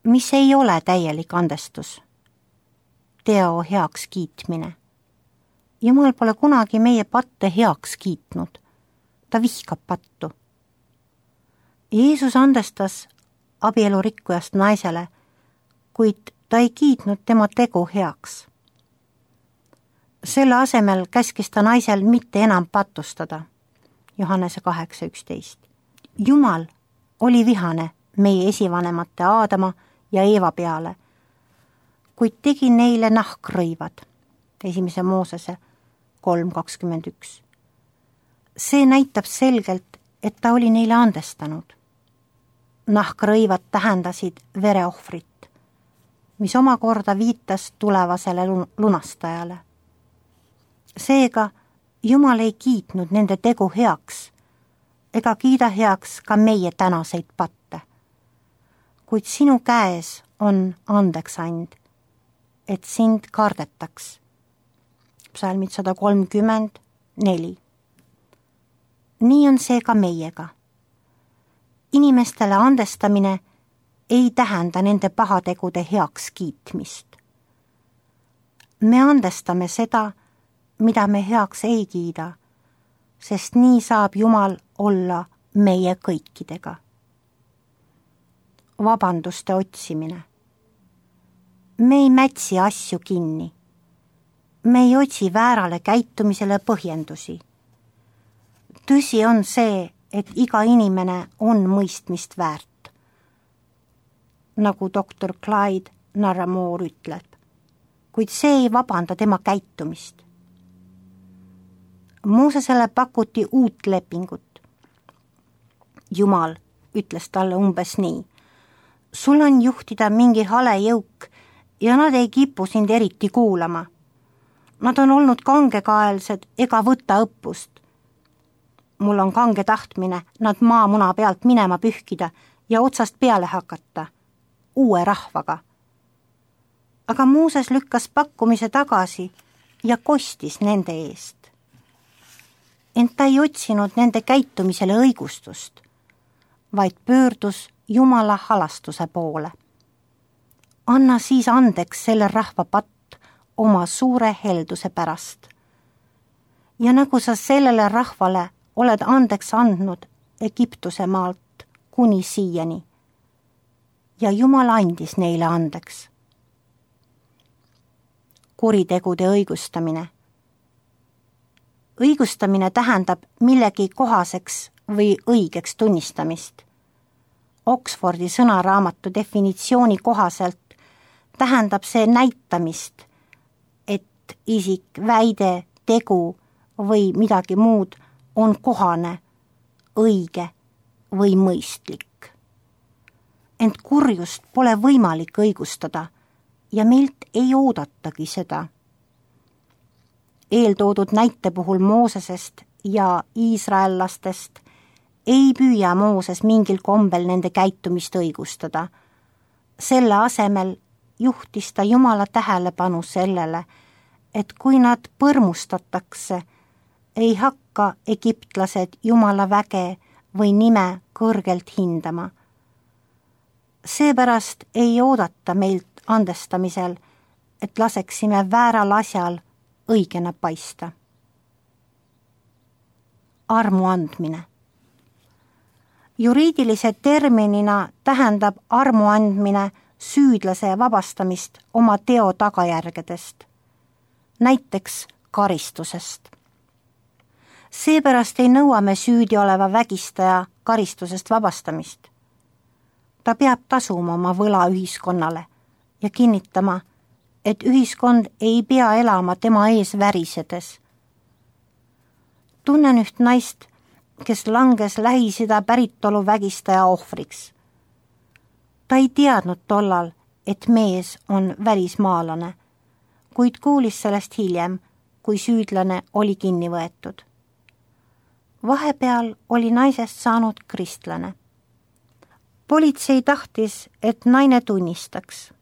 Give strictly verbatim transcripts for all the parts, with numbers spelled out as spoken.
mis ei ole täielik andestus. Teo heaks kiitmine. Jumal pole kunagi meie patte heaks kiitnud. Ta vihkab pattu. Jeesus andestas abielurikkujast naisele, kuid ta ei kiitnud tema tegu heaks. Selle asemel käskis ta naisel mitte enam patustada. Johannese kaheksa üksteist. Jumal oli vihane meie esivanemate Aadama ja Eeva peale, kuid tegi neile nahkrõivad. Esimese Moosese kolm kakskümmend üks. See näitab selgelt, et ta oli neile andestanud. Nahkrõivad tähendasid vereohvrit, mis omakorda viitas tulevasele lunastajale. Seega Jumal ei kiitnud nende tegu heaks ega kiida heaks ka meie tänaseid patte. Kuid sinu käes on andeksand, et sind kardetaks. Psalmid sada kolmkümmend neli. Nii on see ka meiega. Inimestele andestamine ei tähenda nende pahategude heaks kiitmist. Me andestame seda, mida me heaks ei kiida, sest nii saab Jumal olla meie kõikidega. Vabanduste otsimine. Me ei mätsi asju kinni. Me ei otsi väärale käitumisele põhjendusi. Tõsi on see, et iga inimene on mõistmist väärt. Nagu doktor Clyde Narramore ütleb, kuid see ei vabanda tema käitumist. Moosesele pakuti uut lepingut. Jumal ütles talle umbes nii. Sul on juhtida mingi hale jõuk ja nad ei kipu sind eriti kuulama. Nad on olnud kangekaelsed ega võta õppust. Mul on kange tahtmine nad maamuna pealt minema pühkida ja otsast peale hakata, uue rahvaga. Aga Mooses lükkas pakkumise tagasi ja kostis nende eest. Ent ta ei otsinud nende käitumisele õigustust, vaid pöördus Jumala halastuse poole. Anna siis andeks selle rahva patt oma suure helduse pärast. Ja nagu sa sellele rahvale oled andeks andnud Egiptuse maalt kuni siiani. Ja Jumal andis neile andeks. Kuritegude õigustamine. Õigustamine tähendab millegi kohaseks või õigeks tunnistamist. Oxfordi sõnaraamatu definitsiooni kohaselt tähendab see näitamist, et isik, väide, tegu või midagi muud on kohane, õige või mõistlik. Ent kurjust pole võimalik õigustada ja meilt ei oodatagi seda. Eeltoodud näite puhul Moosesest ja iisraellastest ei püüa Mooses mingil kombel nende käitumist õigustada. Selle asemel juhtis ta Jumala tähelepanu sellele, et kui nad põrmustatakse, ei hakka egiptlased Jumala väge või nime kõrgelt hindama. Seepärast ei oodata meilt andestamisel, et laseksime vääral asjal õigena paista. Armu andmine. Juriidilise terminina tähendab armu andmine süüdlase vabastamist oma teo tagajärgedest, näiteks karistusest. Seepärast ei nõua me süüdi oleva vägistaja karistusest vabastamist. Ta peab tasuma oma võla ühiskonnale ja kinnitama, et ühiskond ei pea elama tema ees värisedes. Tunnen üht naist, kes langes Lähis-Ida päritolu vägistaja ohvriks. Ta ei teadnud tollal, et mees on välismaalane, kuid kuulis sellest hiljem, kui süüdlane oli kinni võetud. Vahepeal oli naisest saanud kristlane. Politsei tahtis, et naine tunnistaks.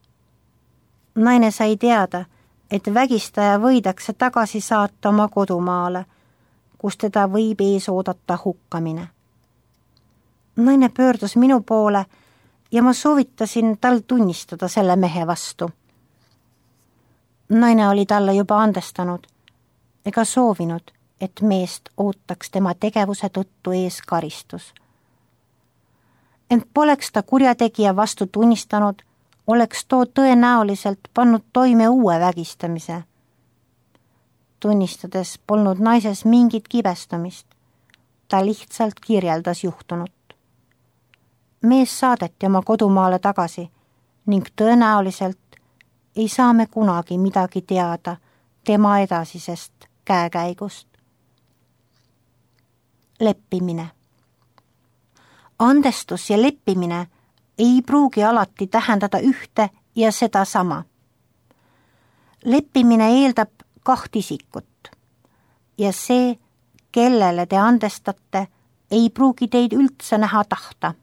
Naine sai teada, et vägistaja võidakse tagasi saata oma kodumaale, kus teda võib ees oodata hukkamine. Naine pöördus minu poole ja ma soovitasin tal tunnistada selle mehe vastu. Naine oli talle juba andestanud ega soovinud, et meest ootaks tema tegevuse tõttu ees karistus. Ent poleks ta kurjategija vastu tunnistanud, oleks too tõenäoliselt pannud toime uue vägistamise. Tunnistades polnud naises mingit kibestumist, ta lihtsalt kirjeldas juhtunut. Mees saadeti oma kodumaale tagasi ning tõenäoliselt ei saa me kunagi midagi teada tema edasisest käekäigust. Leppimine. Andestus ja leppimine ei pruugi alati tähendada ühte ja seda sama. Leppimine eeldab kaht isikut ja see, kellele te andestate, ei pruugi teid üldse näha tahta.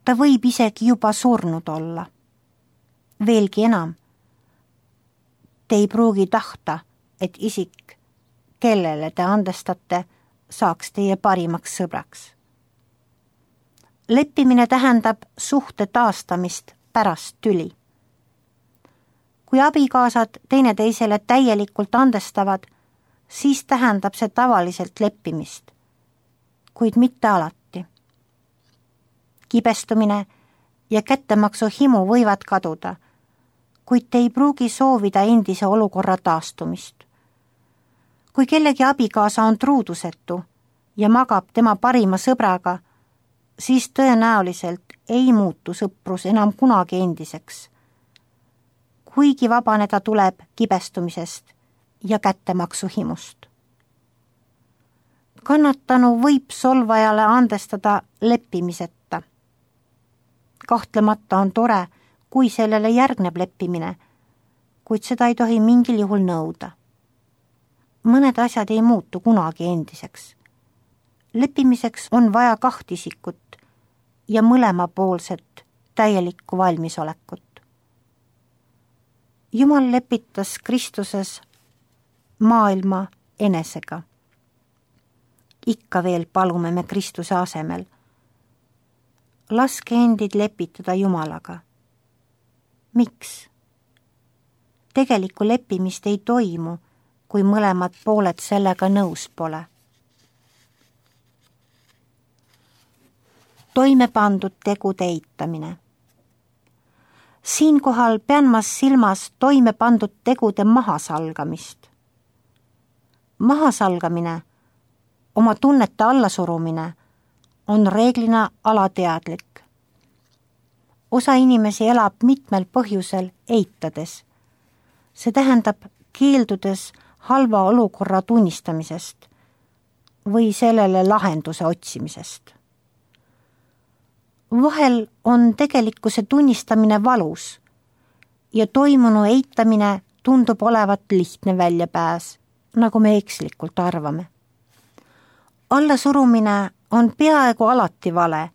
Ta võib isegi juba surnud olla. Veelgi enam, te ei pruugi tahta, et isik, kellele te andestate, saaks teie parimaks sõbraks. Leppimine tähendab suhte taastamist pärast tüli. Kui abikaasad teineteisele täielikult andestavad, siis tähendab see tavaliselt leppimist, kuid mitte alati. Kibestumine ja kättemaksu himu võivad kaduda, kuid te ei pruugi soovida endise olukorra taastumist. Kui kellegi abikaasa on truudusetu ja magab tema parima sõbraga, siis tõenäoliselt ei muutu sõprus enam kunagi endiseks, kuigi vabaneda tuleb kibestumisest ja kättemaksu himust. Kannatanu võib solvajale andestada leppimiseta. Kahtlemata on tore, kui sellele järgneb leppimine, kuid seda ei tohi mingil juhul nõuda. Mõned asjad ei muutu kunagi endiseks. Leppimiseks on vaja kaht isikut ja mõlemapoolset täielikku valmisolekut. Jumal lepitas Kristuses maailma enesega. Ikka veel palume me Kristuse asemel. Laske endid lepitada Jumalaga. Miks? Tegelikku leppimist ei toimu, kui mõlemad pooled sellega nõus pole. Toime pandud tegude eitamine. Siinkohal pean ma silmas toime pandud tegude mahasalgamist. Mahasalgamine, oma tunnete allasurumine, on reeglina alateadlik. Osa inimesi elab mitmel põhjusel eitades. See tähendab keeldudes halva olukorra tunnistamisest või sellele lahenduse otsimisest. Vahel on tegelikkuse tunnistamine valus ja toimunu eitamine tundub olevat lihtne väljapääs, nagu me ekslikult arvame. Allasurumine on peaaegu alati vale,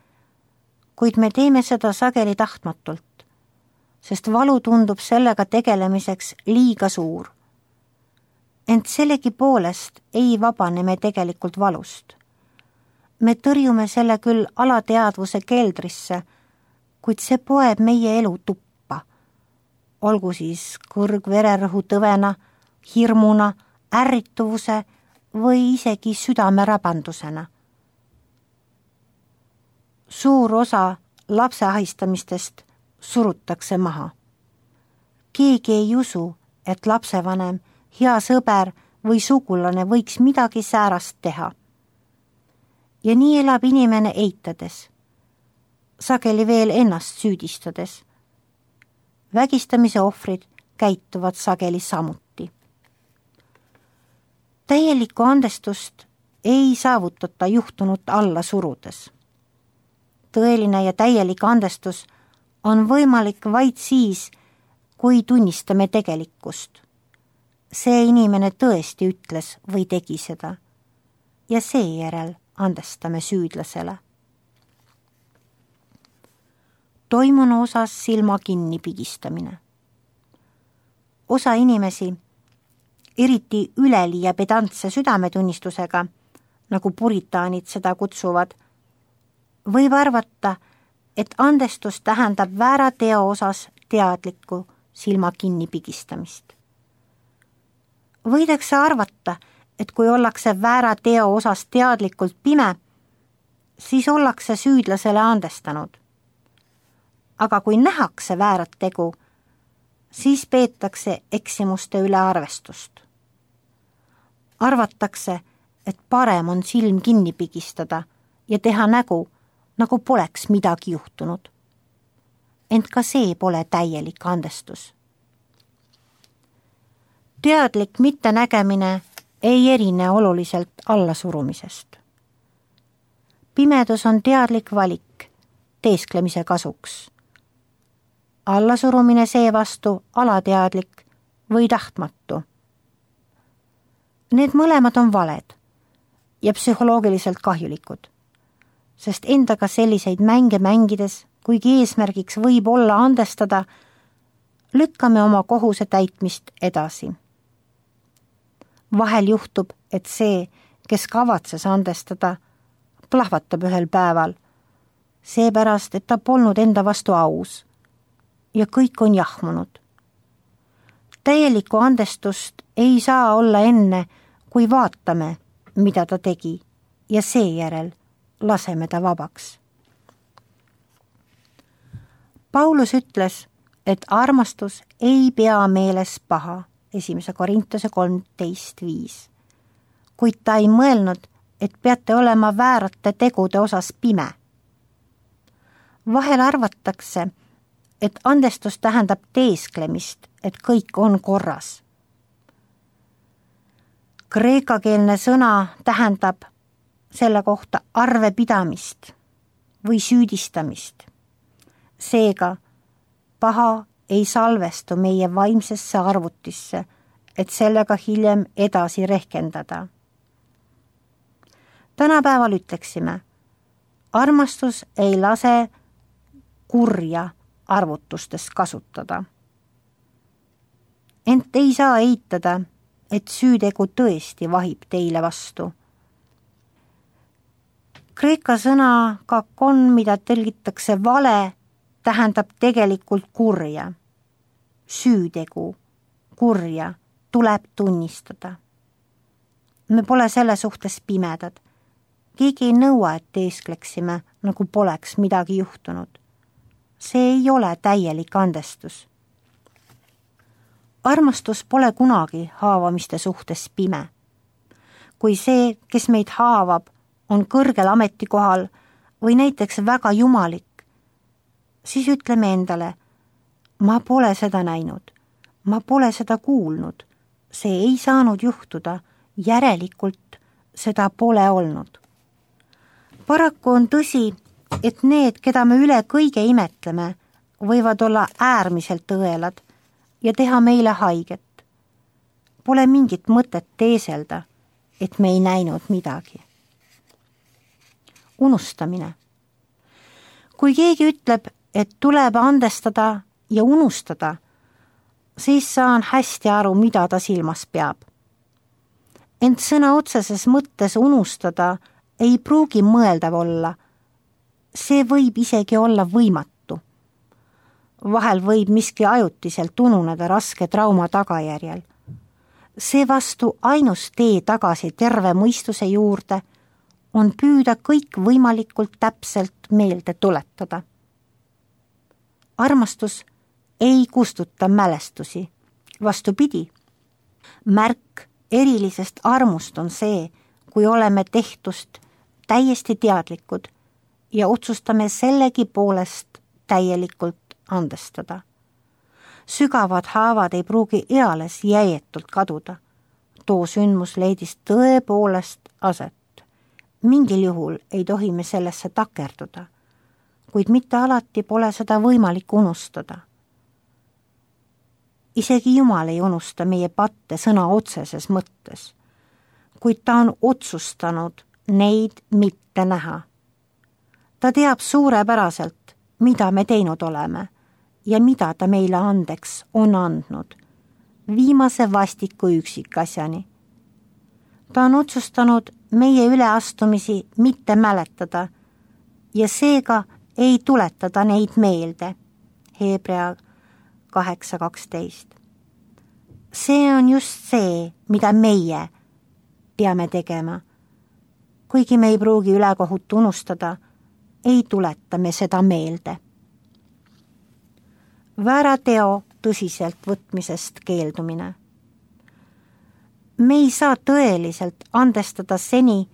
kuid me teeme seda sageli tahtmatult, sest valu tundub sellega tegelemiseks liiga suur. Ent sellegi poolest ei vabane me tegelikult valust. Me tõrjume selle küll alateadvuse keldrisse, kuid see poeb meie elu tuppa. Olgu siis kõrgvererõhu tõvena, hirmuna, ärrituvuse või isegi südame rabandusena. Suur osa lapse ahistamistest surutakse maha. Keegi ei usu, et lapsevanem, hea sõber või sugulane võiks midagi säärast teha. Ja nii elab inimene eitades, sageli veel ennast süüdistades. Vägistamise ohvrid käituvad sageli samuti. Täielikku andestust ei saavutata juhtunut alla surudes. Tõeline ja täielik andestus on võimalik vaid siis, kui tunnistame tegelikkust. See inimene tõesti ütles või tegi seda ja seejärel andestame süüdlasele. Toimunu osas silma kinni pigistamine. Osa inimesi, eriti üleliia pedantse südametunnistusega, nagu puritaanid seda kutsuvad, võib arvata, et andestus tähendab väära teo osas teadlikku silma kinni pigistamist. Võidakse arvata, et kui ollakse väära teo osas teadlikult pime, siis ollakse süüdlasele andestanud. Aga kui nähakse väärat tegu, siis peetakse eksimuste üle arvestust. Arvatakse, et parem on silm kinni pigistada ja teha nägu, nagu poleks midagi juhtunud. Ent ka see pole täielik andestus. Teadlik mittenägemine ei erine oluliselt allasurumisest. Pimedus on teadlik valik teesklemise kasuks. Allasurumine seevastu alateadlik või tahtmatu. Need mõlemad on valed ja psühholoogiliselt kahjulikud, sest endaga selliseid mänge mängides, kuigi eesmärgiks võib olla andestada, lükkame oma kohuse täitmist edasi. Vahel juhtub, et see, kes kavatses andestada, plahvatab ühel päeval, seepärast, et ta polnud enda vastu aus ja kõik on jahmunud. Täielikku andestust ei saa olla enne, kui vaatame, mida ta tegi ja seejärel laseme ta vabaks. Paulus ütles, et armastus ei pea meeles paha, esimese Korintuse kolmteist viis, kuid ta ei mõelnud, et peate olema väärate tegude osas pime. Vahel arvatakse, et andestus tähendab teesklemist, et kõik on korras. Kreekakeelne sõna tähendab selle kohta arvepidamist või süüdistamist. Seega, paha ei salvestu meie vaimsesse arvutisse, et sellega hiljem edasi rehkendada. Tänapäeval ütleksime, armastus ei lase kurja arvutustes kasutada. Ent ei saa eitada, et süütegu tõesti vahib teile vastu. Kreeka sõna kakon, mida tõlgitakse vale, tähendab tegelikult kurja. Süütegu, kurja, tuleb tunnistada. Me pole selle suhtes pimedad. Keegi ei nõua, et teeskleksime, nagu poleks midagi juhtunud. See ei ole täielik andestus. Armastus pole kunagi haavamiste suhtes pime. Kui see, kes meid haavab, on kõrgel ametikohal või näiteks väga jumalik, siis ütleme endale, ma pole seda näinud, ma pole seda kuulnud, see ei saanud juhtuda, järelikult seda pole olnud. Paraku on tõsi, et need, keda me üle kõige imetleme, võivad olla äärmiselt õelad ja teha meile haiget. Pole mingit mõtet teeselda, et me ei näinud midagi. Unustamine. Kui keegi ütleb, et tuleb andestada ja unustada, siis saan hästi aru, mida ta silmas peab. Ent sõna otseses mõttes unustada ei pruugi mõeldav olla. See võib isegi olla võimatu. Vahel võib miski ajutiselt ununeda raske trauma tagajärjel. Seevastu ainus tee tagasi terve mõistuse juurde on püüda kõik võimalikult täpselt meelde tuletada. Armastus ei kustuta mälestusi, vastupidi. Märk erilisest armust on see, kui oleme tehtust täiesti teadlikud ja otsustame sellegi poolest täielikult andestada. Sügavad haavad ei pruugi eales jäietult kaduda. Too sündmus leidis tõepoolest aset. Mingil juhul ei tohi me sellesse takerduda, kuid mitte alati pole seda võimalik unustada. Isegi Jumal ei unusta meie patte sõna otseses mõttes, kuid ta on otsustanud neid mitte näha. Ta teab suurepäraselt, mida me teinud oleme ja mida ta meile andeks on andnud, viimase vastiku üksikasjani. Ta on otsustanud meie üleastumisi mitte mäletada ja seega ei tuleta ta neid meelde. Hebrea kaheksa kaksteist. See on just see, mida meie peame tegema. Kuigi me ei pruugi ülekohut unustada, ei tuleta me seda meelde. Väära teo tõsiselt võtmisest keeldumine. Me ei saa tõeliselt andestada seni,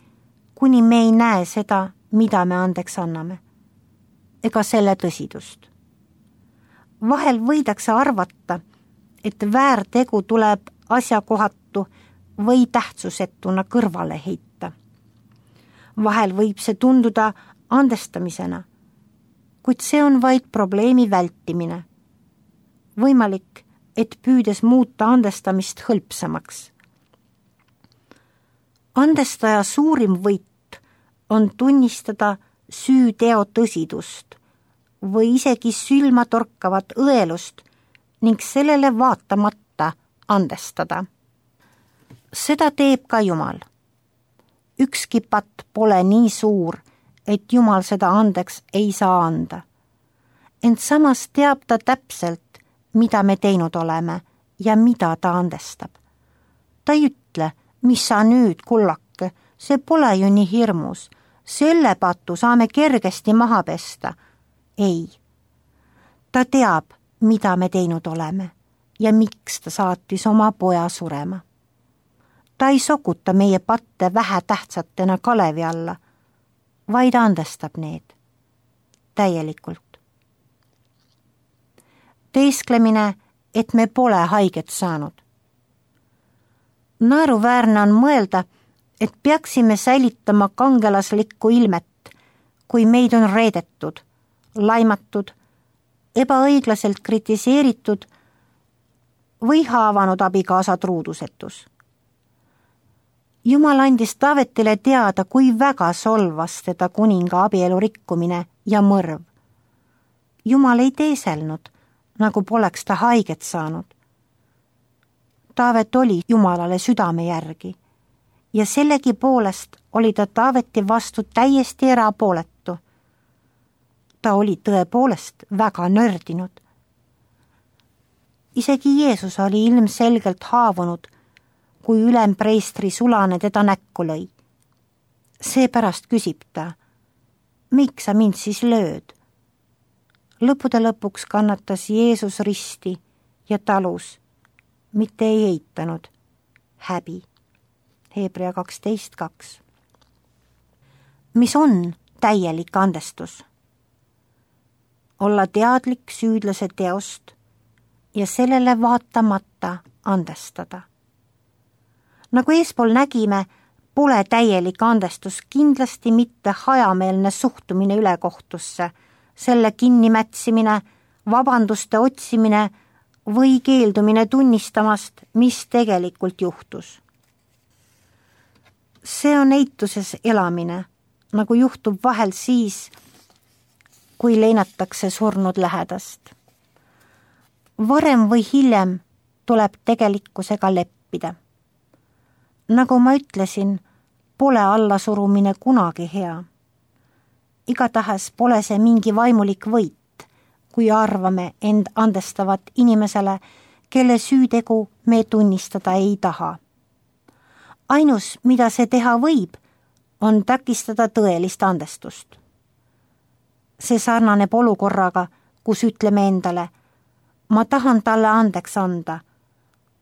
kuni me ei näe seda, mida me andeks anname, ega selle tõsidust. Vahel võidakse arvata, et väärtegu tuleb asjakohatu või tähtsusetuna kõrvale heita. Vahel võib see tunduda andestamisena, kuid see on vaid probleemi vältimine. Võimalik, et püüdes muuta andestamist hõlpsamaks. Andestaja suurim võit on tunnistada süüteo tõsidust või isegi sülma torkavat õelust ning sellele vaatamata andestada. Seda teeb ka Jumal. Ükski patt pole nii suur, et Jumal seda andeks ei saa anda. Ent samas teab ta täpselt, mida me teinud oleme ja mida ta andestab. Ta ei ütle, mis sa nüüd, kullake, see pole ju nii hirmus, selle patu saame kergesti maha pesta. Ei. Ta teab, mida me teinud oleme ja miks ta saatis oma poja surema. Ta ei sokuta meie patte vähetähtsatena kalevi alla, vaid andestab need täielikult. Teesklemine, et me pole haiget saanud. Naeruväärne on mõelda, et peaksime säilitama kangelaslikku ilmet, kui meid on reedetud, laimatud, ebaõiglaselt kritiseeritud või haavanud abikaasa truudusetus. Jumal andis Taavetile teada, kui väga solvas teda kuninga abielu rikkumine ja mõrv. Jumal ei teeselnud, nagu poleks ta haiget saanud. Taavet oli Jumalale südame järgi ja sellegi poolest oli ta Taaveti vastu täiesti erapooletu. Ta oli tõepoolest väga nördinud. Isegi Jeesus oli ilmselgelt haavunud, kui ülempreistri sulane teda näkku lõi. Seepärast küsib ta, miks sa mind siis lööd? Lõppude lõpuks kannatas Jeesus risti ja talus, mitte ei eitanud häbi. Hebrea kaksteist kaks. Mis on täielik andestus? Olla teadlik süüdlase teost ja sellele vaatamata andestada. Nagu eespool nägime, pole täielik andestus kindlasti mitte hajameelne suhtumine ülekohtusse, selle kinnimätsimine, vabanduste otsimine või keeldumine tunnistamast, mis tegelikult juhtus. See on eituses elamine, nagu juhtub vahel siis, kui leinatakse surnud lähedast. Varem või hiljem tuleb tegelikkusega leppida. Nagu ma ütlesin, pole allasurumine kunagi hea. Igatahes pole see mingi vaimulik võit, kui arvame end andestavat inimesele, kelle süütegu me tunnistada ei taha. Ainus, mida see teha võib, on takistada tõelist andestust. See sarnaneb olukorraga, kus ütleme endale, ma tahan talle andeks anda,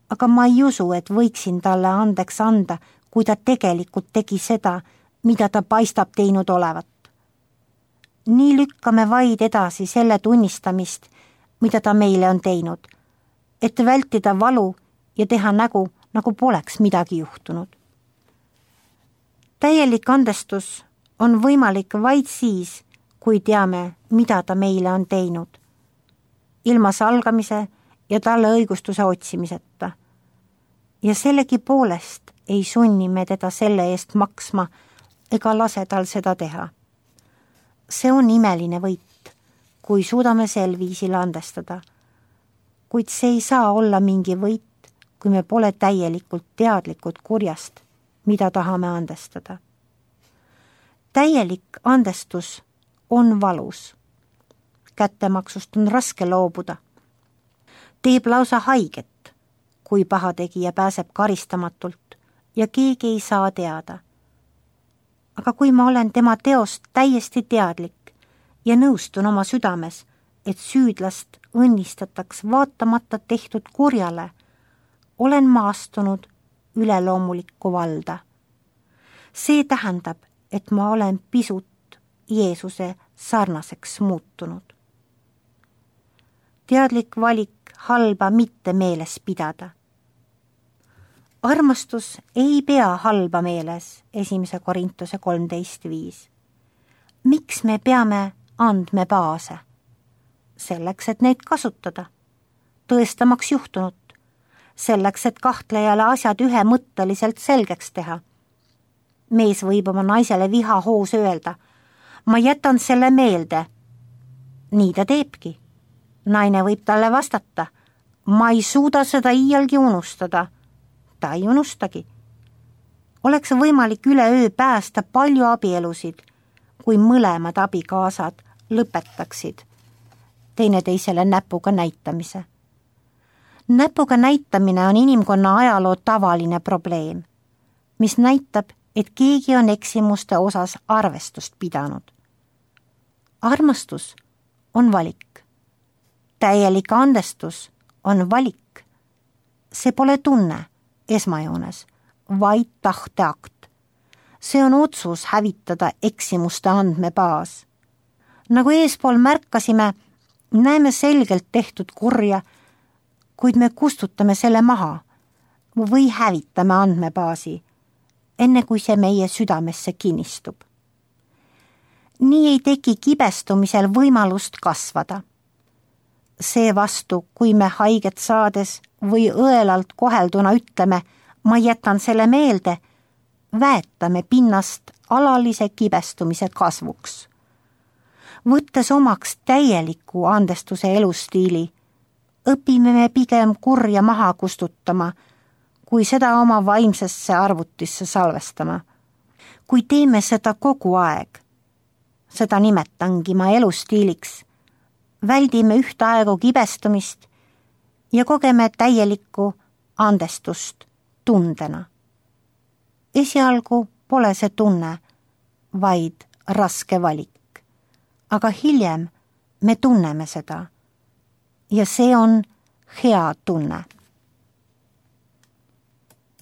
aga ma ei usu, et võiksin talle andeks anda, kui ta tegelikult tegi seda, mida ta paistab teinud olevat. Nii lükkame vaid edasi selle tunnistamist, mida ta meile on teinud, et vältida valu ja teha nägu, nagu poleks midagi juhtunud. Täielik andestus on võimalik vaid siis, kui teame, mida ta meile on teinud, ilma salgamise ja talle õigustuse otsimiseta. Ja sellegi poolest ei sunni me teda selle eest maksma ega lase tal seda teha. See on imeline võit, kui suudame sel viisil andestada, kuid see ei saa olla mingi võit, kui me pole täielikult teadlikud kurjast, mida tahame andestada. Täielik andestus on valus kättemaksust on raske loobuda. Teeb lausa haiget, kui pahategija pääseb karistamatult ja keegi ei saa teada. Aga kui ma olen tema teost täiesti teadlik ja nõustun oma südames, et süüdlast õnnistataks vaatamata tehtud kurjale, olen ma astunud üleloomulikku valda. See tähendab, et ma olen pisut Jeesuse sarnaseks muutunud. Teadlik valik halba mitte meeles pidada. Armastus ei pea halba meeles, esimese Korintuse kolmteist viis. Miks me peame andmebaase? Selleks, et neid kasutada, tõestamaks juhtunut, selleks, et kahtlejale asjad ühemõtteliselt selgeks teha. Mees võib oma naisele viha hoos öelda, ma jätan selle meelde. Nii ta teebki. Naine võib talle vastata, ma ei suuda seda iialgi unustada. Ta ei unustagi. Oleks võimalik üleöö päästa palju abielusid, kui mõlemad abikaasad lõpetaksid teineteisele näpuga näitamise. Näpuga näitamine on inimkonna ajaloo tavaline probleem, mis näitab, et keegi on eksimuste osas arvestust pidanud. Armastus on valik. Täielik andestus on valik. See pole tunne esmajoones, vaid tahteakt. See on otsus hävitada eksimuste andmebaas. Nagu eespool märkasime, näeme selgelt tehtud kurja, kuid me kustutame selle maha või hävitame andmebaasi, enne kui see meie südamesse kinnistub. Nii ei teki kibestumisel võimalust kasvada. Seevastu, kui me haiget saades või õelalt kohelduna ütleme, ma jätan selle meelde, väetame pinnast alalise kibestumise kasvuks. Võttes omaks täieliku andestuse elustiili, õpime me pigem kurja maha kustutama, kui seda oma vaimsesse arvutisse salvestama. Kui teeme seda kogu aeg, seda nimetangi ma elustiiliks, väldime ühtaegu kibestumist ja kogeme täielikku andestust tundena. Esialgu pole see tunne, vaid raske valik. Aga hiljem me tunneme seda ja see on hea tunne.